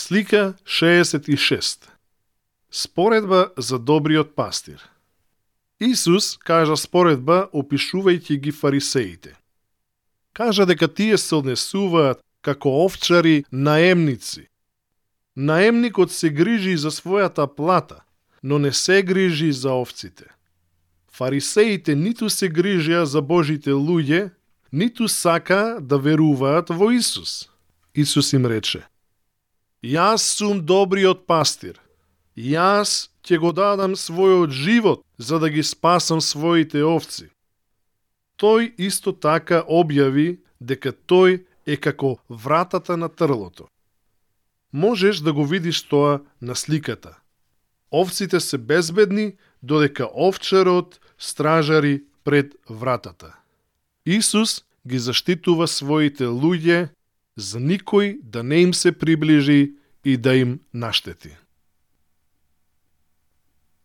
Слика 66. Споредба за добриот пастир. Исус кажа споредба опишувајќи ги фарисеите. Кажа дека тие се однесуваат како овчари наемници. Наемникот се грижи за својата плата, но не се грижи за овците. Фарисеите ниту се грижија за Божите луѓе, ниту сака да веруваат во Исус. Исус им рече: Јас сум добриот пастир. Јас ќе го дадам својот живот за да ги спасам своите овци. Тој исто така објави дека тој е како вратата на трлото. Можеш да го видиш тоа на сликата. Овците се безбедни, додека овчарот стражари пред вратата. Исус ги заштитува своите луѓе за никој да не им се приближи и да им наштети.